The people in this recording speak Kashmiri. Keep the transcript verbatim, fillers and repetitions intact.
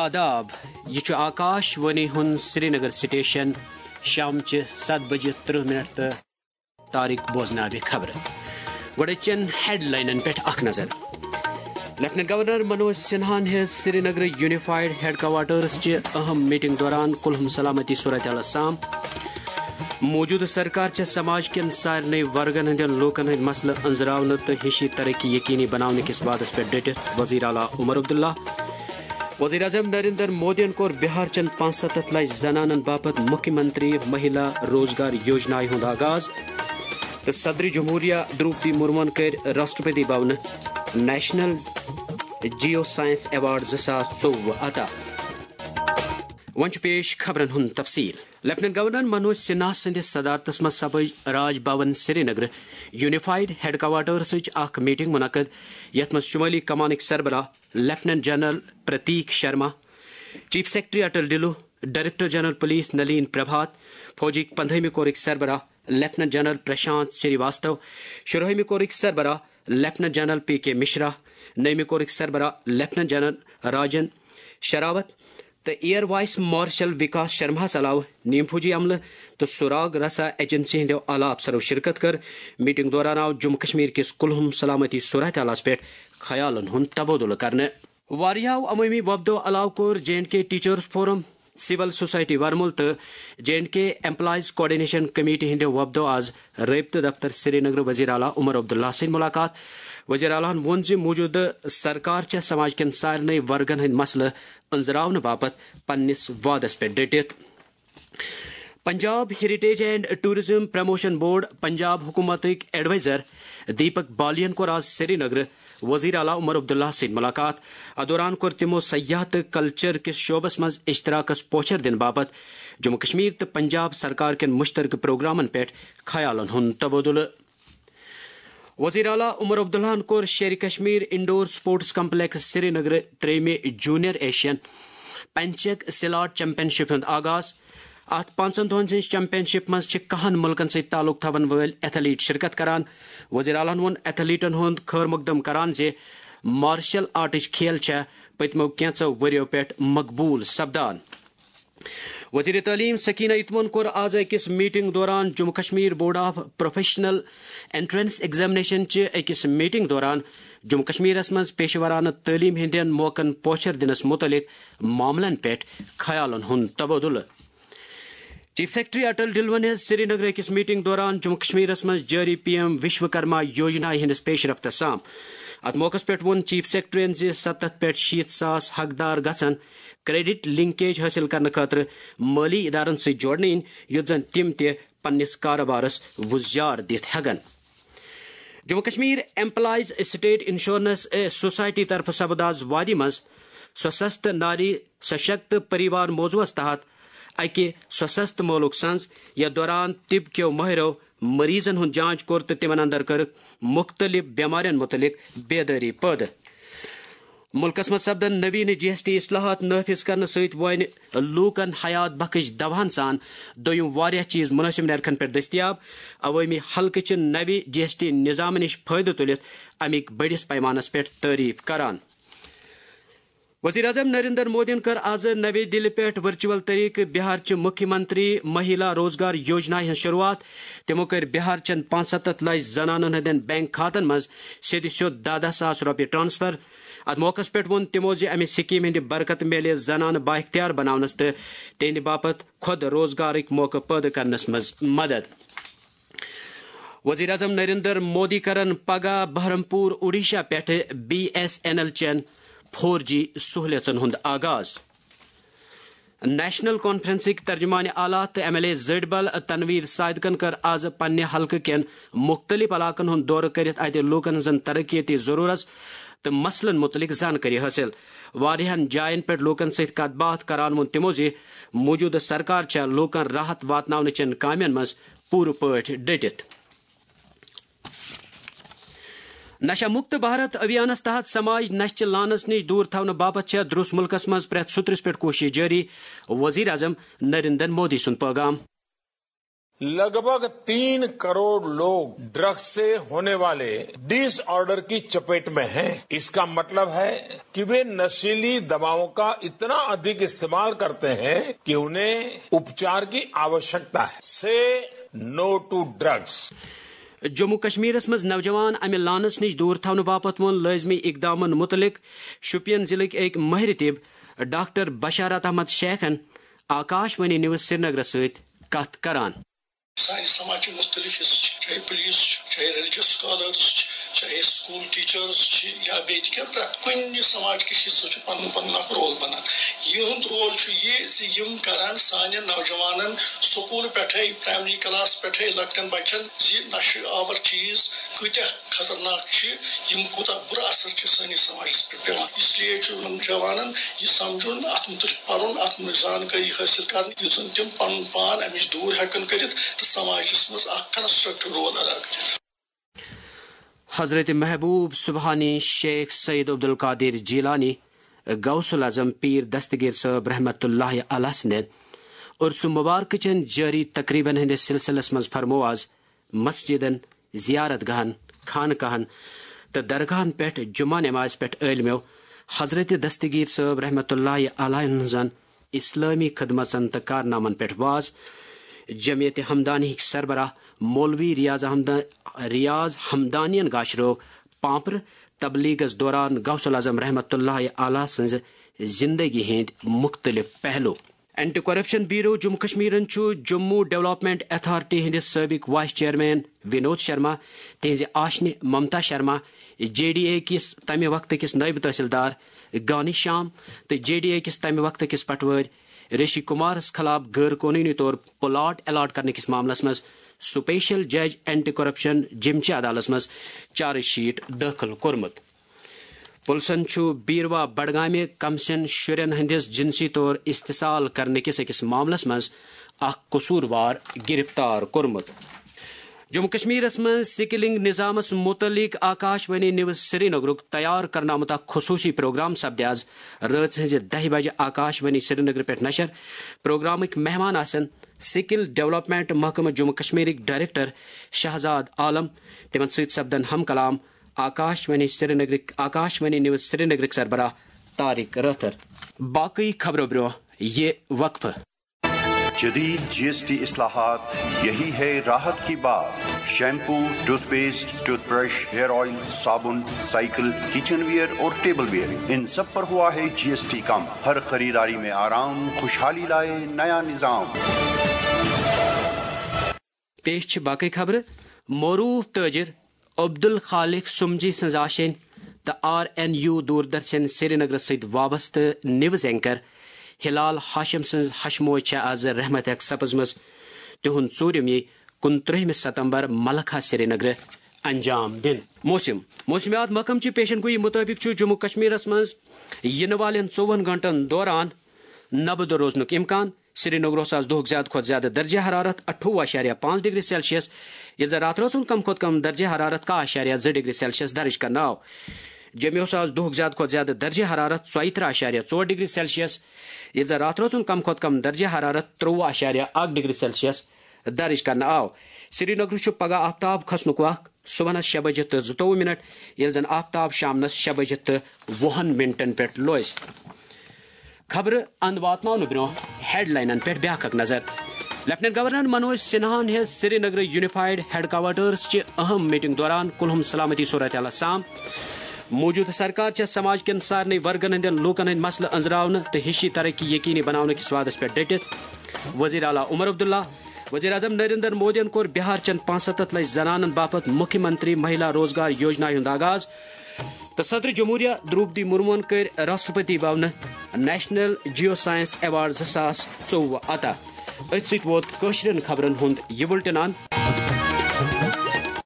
آداب، یہِ چھُ آکاش وانی ہُنٛد سرینگر سٹیشن۔ شامچہِ ستھ بجہِ ترٕہ منٹ تہٕ طارق بوزناوِ خبرٕ۔ گۄڈٕ چٮ۪ن ہیڈلاینن پٮ۪ٹھ اکھ نظر۔ لیفٹیننٹ گورنر منوج سنہاہن ہیٚژ سرینگرٕ یونیفائیڈ ہیڈ کوارٹرز چہِ اہم میٹنگ دوران کُلہُم سلامتی صورتحالس سام۔ موجودٕ سرکار چھےٚ سماج کٮ۪ن سارنٕے ورگن ہٕنٛدٮ۪ن لوٗکن ہٕنٛدۍ مسلہٕ أنٛزراونہٕ تہٕ ہِشی ترقی یقینی بناونہٕ کِس وعدس پٮ۪ٹھ ڈٔٹِتھ، وزیر اعلیٰ عمر عبداللہ۔ وزیر اعظم نریندر مودیَن کوٚر بہار چٮ۪ن پانٛژھ ستتھ لچھ زنانن باپتھ مُکھیہ منتری مہیلا روزگار یوجنایہِ ہُنٛد آغاز تہٕ صدر جمہوریہ دروپدی مرموَن کٔرۍ راشٹرپتی بھونہٕ نیشنل جیو سائنس ایوارڈ زٕ ساس ژوٚوُہ عطا۔ وۄنۍ چھُ پیش خبرن ہُنٛد تفصیل۔ لیفٹیننٹ گورنر منوج سنہا سٕنٛدِس صدارتس منٛز سپٕج راج بھون سرینگرٕ یونیفائیڈ ہیڈ کوارٹرسٕچ اکھ میٹنگ منعقد، یتھ منٛز شمٲلی کمانٕکۍ سربراہ lieutenant general Prateek Sharma, chief secretary Atal Dulloo, director general police Nalin Prabhat, فوجٕکۍ پندہٲمہِ کورٕکۍ سربراہ lieutenant general Prashant Srivastava, شُراہمہِ کورٕکۍ سربراہ lieutenant general P K Mishra, نٔیمہِ کورٕکۍ سربراہ لیفٹیننٹ جنرل راجن شراوت تہٕ ایئر وائس مارشل وکاس شرماہس علاوٕ نیم فوجی عملہٕ تہٕ سراغ رسا ایجنسی ہٕنٛدیو اعلیٰ افسرو شرکت کٔر۔ میٹنگ دوران آو جموں کشمیر کِس کُلہُم سلامتی صورتحالس پٮ۪ٹھ خیالن ہُنٛد تبادلہٕ کرنہٕ۔ واریاہو عوٲمی وفدو علاوٕ کوٚر J and K teachers forum, civil society Varmul تہٕ J and K employees coordination committee ہٕنٛدیو وفدو آز رٲبطہٕ دفتر سرینگر وزیر اعلیٰ عمر عبداللہ سۭتۍ ملاقات۔ وزیر اعلیٰ ہَن ووٚن زِ موجودٕ سرکار چھےٚ سماج کٮ۪ن سارنٕے ورگن ہٕنٛدۍ مسلہٕ أنٛزراونہٕ باپتھ پننِس وعدس پٮ۪ٹھ ڈٔٹِتھ۔ Punjab heritage and tourism promotion board Punjab حکومتٕکۍ ایڈوائزر دیپک بالین کوٚر آز سرینگرٕ وزیر اعلیٰ عمر عبداللہ سۭتۍ ملاقات۔ اتھ دوران کوٚر تِمو سیاحت تہٕ کلچر کِس شعبس منٛز اشتراکس پوچھر دِنہٕ باپتھ جموں کشمیر تہٕ پنجاب سرکار کٮ۪ن مشترکہٕ پروگرامن پٮ۪ٹھ خیالن ہُنٛد تبادلہٕ۔ وزیر اعلیٰ عمر عبداللہن کوٚر شیرِ کشمیر انڈور سپورٹس کمپلیکس سرینگرٕ ترٛیٚیمہِ جونیئر ایشین پنچک سلاٹ چیمپین شپ ہُنٛد آغاز۔ اتھ پانٛژن دۄہن ہٕنٛز چیمپین شپ منٛز چھِ کاہن ملکن سۭتۍ تعلق تھاون وٲلۍ ایتھلیٹ شرکت کران۔ وزیر اعلیٰ ہَن ووٚن ایتھلیٹن ہُنٛد خیر مقدم کران زِ مارشل آرٹٕچ کھیل چھےٚ پٔتمیو کینٛژو ؤرِیو پٮ۪ٹھ مقبوٗل سپدان۔ وزیر تعلیم سکینہ اتمن کوٚر آز أکِس میٹنگ دوران Jammu Kashmir board of professional entrance examination چہِ أکِس میٹنگ دوران جموں کشمیرس منٛز پیشہٕ ورانہٕ تعلیم ہٕنٛدٮ۪ن موقعن پوچھر دِنس مُتعلق معاملن پٮ۪ٹھ خیالن ہُنٛد تبادلہٕ۔ چیف سیکرٹری اٹل ڈلون ہیٚژ سرینگرٕ أکِس میٹنگ دوران جموں کشمیرس منٛز جٲری پی ایم وشوکرما یوجنا ہٕنٛدِس پیش رفتس سام۔ اتھ موقعس پٮ۪ٹھ ووٚن چیف سیکرٹریَن زِ ستتھ پٮ۪ٹھ شیٖتھ ساس حقدار گژھن کریڈٹ لنکیج حٲصِل کرنہٕ خٲطرٕ مٲلی ادارن سۭتۍ جوڑنہٕ یِنۍ، یُتھ زن تِم تہِ پننِس کارٕبارس وُزجار دِتھ ہٮ۪کن۔ Jammu Kashmir employees state insurance society طرفہٕ سپُد آز وادی منٛز سوسست ناری سشکت پریوار موضوعس تحت اکہِ سوسست مٲلُک سنز، یتھ دوران طب کیو مٲہرو مریضن ہُنٛد جانچ کوٚر تہٕ تِمن اندر کٔرٕکھ مُختٔلِف بٮ۪مارٮ۪ن مُتعلق بیدٲری پٲدٕ۔ مُلکس منٛز سپدن نوین جی ایس ٹی اصلاحات نافذ کرنہٕ سۭتۍ وۄنۍ لوٗکن حیات بخش دواہن سان دوٚیِم واریاہ چیز مُنٲسِب نرخن پٮ۪ٹھ دٔستیاب۔ عوٲمی حلقہٕ چھِ نوِ جی ایس ٹی نظامہٕ نِش فٲیدٕ تُلِتھ اَمِکۍ بٔڑِس پیمانس پٮ۪ٹھ تعریف کران۔ وزیر اعظم نریندر مودیَن کٔر آز نوی دِلہِ پٮ۪ٹھ ورچوئل طریقہٕ بہار چہِ مُکھیہ منتری مہیلا روزگار یوجنا ہٕنٛز شروعات۔ تِمو کٔرۍ بہار چٮ۪ن پانٛژھ ستتھ لچھ زنانن ہٕنٛدٮ۪ن بینک کھاتن منٛز سیٚدِ سیوٚد دَہ دَہ ساس رۄپیہِ ٹرانسفر۔ اتھ موقعس پٮ۪ٹھ ووٚن تِمو زِ امہِ سکیمہِ ہٕنٛدِ برکتہٕ میلہِ زنانہٕ بااختیار بناونس تہٕ تِہنٛدِ باپتھ خود روزگارٕکۍ موقعہٕ پٲدٕ کرنس منٛز مدد۔ وزیر اعظم نریندر مودی کرن پگاہ بہرمپور اوڈیشہ پٮ۪ٹھٕ بی ایس این ایل چٮ۪ن فور جی سہولیژن ہُنٛد آغاز۔ نیشنل کانفرنسٕکۍ ترجمان اعلیٰ تہٕ ایم ایل اے زٔٹۍ بل تنویر صادقن کٔر آز پننہِ حلقہٕ کٮ۪ن مُختٔلِف علاقن ہُنٛد دورٕ کٔرِتھ اتہِ لوٗکن ہٕنٛزن ترقیتی ضروٗرژ تہٕ مسلن مُتعلق زانکٲری حٲصِل۔ واریاہن جاین پٮ۪ٹھ لوٗکن سۭتۍ کتھ باتھ کران ووٚن تِمو زِ موجودٕ سرکار چھےٚ لوٗکن راحت واتناونہٕ چٮ۪ن کامٮ۪ن منٛز پوٗرٕ پٲٹھۍ ڈٔٹِتھ۔ نشہ مکت بھارت ابھیانس تحت سماج نشہ چہ لعنس نش دور تھاونہٕ باپتھ چھےٚ درس ملکس منٛز پرٛٮ۪تھ سُترس پٮ۪ٹھ کوشش جٲری، وزیر اعظم نریندر مودی سُنٛد پیغام۔ लगभग तीन करोड़ लोग ड्रग्स से होने वाले डिसऑर्डर की चपेट में हैं। इसका मतलब है कि वे नशीली दवाओं का इतना अधिक इस्तेमाल करते हैं कि उन्हें उपचार की आवश्यकता है। से नो टू ड्रग्स। جموں کشمیرس منٛز نوجوان امہِ لانس نِش دوٗر تھاونہٕ باپتھ ووٚن لٲزمی اقدامن مُتعلق شوپین ضلعٕکۍ أکۍ مٲہرِ طب ڈاکٹر بشارت احمد شیخن آکاش وانی نیوز سرینگرس سۭتۍ کتھ کران۔ سانہِ سماجٕکۍ مُختٔلِف حصہٕ چھِ، چاہے پُلیٖس چھُ، چاہے ریلِجَس سکالٲرٕس چھِ، چاہے سکوٗل ٹیٖچٲرٕس چھِ، یا بیٚیہِ تہِ کینٛہہ، پرٛٮ۪تھ کُنہِ سماجکِس حصس چھُ پنُن پنُن اکھ رول بنان۔ یِہُنٛد رول چھُ یہِ زِ یِم کرن سانٮ۪ن نوجوانن سکوٗل پٮ۪ٹھے، پرایمری کلاس پٮ۪ٹھے لۄکٹٮ۪ن بچن زِ نشہٕ آور چیٖز کۭتیاہ خطرناک چھِ، یِم کوٗتاہ بُرٕ اثر چھِ سٲنِس سماجس پٮ۪ٹھ پٮ۪وان۔ اس لیے چھُ یِمن جوانن یہِ سمجھُن، اتھ مُتعلق پرُن، اتھ منٛز زانکٲری حٲصِل کرٕنۍ، یُتھ زن تِم پنُن پان امِچ دوٗر ہٮ۪کن کٔرِتھ تہٕ سماجس منٛز اکھ کنسٹرکٹیو رول ادا کٔرِتھ۔ حضرت محبوب سبحانی شیخ سید عبدالقادر جیلانی غوث الاعظم پیر دستگیر صٲب رحمت اللہ علیہ سٕنٛدٮ۪ن عرس مبارک چٮ۪ن جٲری تقریبن ہٕنٛدِس سلسلس منٛز فرموو از مسجدن، زیارت گاہن، خانقاہن تہٕ درگاہن پٮ۪ٹھ جمعہ نمازِ پٮ۪ٹھ عٲلمٮ۪و حضرت دستگیر صٲب رحمت اللہ علیہ ہٕنٛزن اسلٲمی خدمژن تہٕ کارنامن پٮ۪ٹھ واز۔ جمعیت ہمدانی ہٕکۍ سربراہ مولوی ریاض، ہمدا، ریاض ہمدانین گاشرو پانپرٕ تبلیغس دوران غوث الاعظم رحمت اللہ علیہ سٕنٛزِ زندگی ہٕنٛدۍ مُختٔلِف پہلو۔ اینٹی کرپشن بیورو جموں کشمیرن چھُ جموں ڈیولپمنٹ اتھارٹی ہٕنٛدِس سٲبق وائس چیئرمین ونود شرما، تہنٛزِ آشنہِ Mamta Sharma, J D A کِس تمہِ وقتہٕ کِس نٲیِب تحصیلدار گانی شام تہٕ جے ڈی اے کِس تمہِ وقتہٕ کِس پٹوٲرۍ رشی کمارس خلاف غٲر قونوٗنی طور پلاٹ الاٹ کرنہٕ کِس معاملس منٛز سپیشل جج اینٹی کرپشن جمچہِ عدالتس منٛز چارج شیٹ دٲخل کوٚرمُت۔ پُلسن چھُ بیٖروار بڈگامہِ کمسن شُرٮ۪ن ہٕنٛدِس جنسی طور استحصال کرنہٕ کِس أکِس معاملس منٛز اکھ قصوٗروار گِرفتار کوٚرمُت۔ جموں کشمیرس منٛز سکلنگ نظامس مُتعلق آکاش وانی نیوز سرینگرُک تیار کرنہٕ آمُت اکھ خصوٗصی پروگرام سپدِ از رٲژ ہٕنٛزِ دَہہِ بجہِ آکاش وانی سرینگرٕ پٮ۪ٹھ نشر۔ پروگرامٕکۍ مہمان آسن سکل ڈیولپمنٹ محکمہٕ جموں کشمیرٕکۍ ڈائریکٹر شہزاد عالم۔ تِمن سۭتۍ سپدن ہم کلام آکاش وانی سرینگرٕکۍ، آکاش وانی نیوز سرینگرٕکۍ سربراہ طارق رٲتھر۔ باقٕے خبرو برٛونٛہہ یہِ وقفہٕ۔ جدید جی ایس ٹی اصلاحات، یہی ہے راحت کی بات۔ Shampoo, toothpaste, toothbrush, hair oil, صابن، سائیکل، کچن ویئر اور ٹیبل ویئر، ان سب پر ہوا ہے جی ایس ٹی کم۔ ہر خریداری میں آرام، خوشحالی لائے نیا نظام۔ پیش چھِ باقٕے خبرٕ۔ معروٗف تٲجِر عبدالخالق سُمجی سٕنٛز آشینۍ تہٕ آر این یو دوردرشن سرینگرس سۭتۍ وابستہٕ نیوز اینکر ہلال ہاشم سٕنٛز ہشموے چھےٚ از رحمت ہیٚکھ سپٕزمٕژ۔ تِہُنٛد ژوٗرِم یی کُنترٛہمہِ ستمبر ملکہ سرینگرٕ انجام دِنہٕ۔ موسم۔ موسمیات محکمہٕ چہِ پیشن گویی مُطٲبِق چھُ جموں کشمیرس منٛز یِنہٕ والٮ۪ن ژوٚوُہن گھنٹن دوران نبہٕ دۄہ روزنُک امکان۔ سرینگرس آز دۄہُک زیادٕ کھۄتہٕ زیادٕ درجہ حرارت اَٹھووُہ اَشاریہ پانٛژھ ڈگری سیلسیس، ییٚلہِ زن راتہٕ رٲژ ہُنٛد کم کھۄتہٕ کم درجہ حرارت کاہ اَشاریہ زٕ ڈگری سیلسیس درج کرنہٕ آو۔ جوٚمیوس آز دۄہُک زیادٕ کھۄتہٕ زیادٕ درجہ حرارت ژۄیہِ ترٕٛہ اَشاریہ ژور ڈگری سیلسیس، ییٚلہِ زن راتہٕ رٲژ ہُنٛد کم کھۄتہٕ کم درجہ حرارت ترٛۆوُہ اَشاریہ اکھ ڈگری سیلسیس درج کرنہٕ آو۔ سرینگرس چھُ پگہہ آفتاب کھسنُک وق صبحنس شےٚ بجہِ تہٕ زٕتووُہ منٹ، ییٚلہِ زن آفتاب شامنس شےٚ بجہِ تہٕ وُہن منٹن پٮ۪ٹھ لوزِ۔ خبرٕ اند واتناونہٕ برونٛہہ ہیڈلاینن پٮ۪ٹھ بیاکھ اکھ نظر۔ لیفٹیننٹ گورنر منوج سنہاہن ہیٚژ سرینگرٕ یونیفایڈ ہیڈ کوارٹرس چہِ اہم میٹنگ دوران کُلہُم سلامتی صورتحالس سام۔ موجودٕ سرکار چھےٚ سماج کٮ۪ن سارنٕے ورگن ہٕنٛدٮ۪ن لوٗکن ہٕنٛدۍ مسلہٕ أنٛزراونہٕ تہٕ ہِشی ترقی یقینی بناونہٕ کِس وعدس پٮ۪ٹھ ڈٔٹِتھ۔ وزیر اعلیٰ عمر عبداللہ۔ وزیر اعظم نریندر مودیَن کوٚر بہار چٮ۪ن پانٛژستتھ لچھ زنانن باپتھ مُکھیہ منتری مہیلا روزگار یوجنا ہُنٛد آغاز۔ تہٕ صدر جمہوریہ درٛوپدی مرموہن کٔرۍ راشٹرپتی بھونہٕ نیشنل جیو سائنس ایوارڈ زٕ ساس ژوٚوُہ عطا۔ أتھۍ سۭتۍ ووت کٲشرٮ۪ن خبرن ہُنٛد یہِ بُلٹن اند۔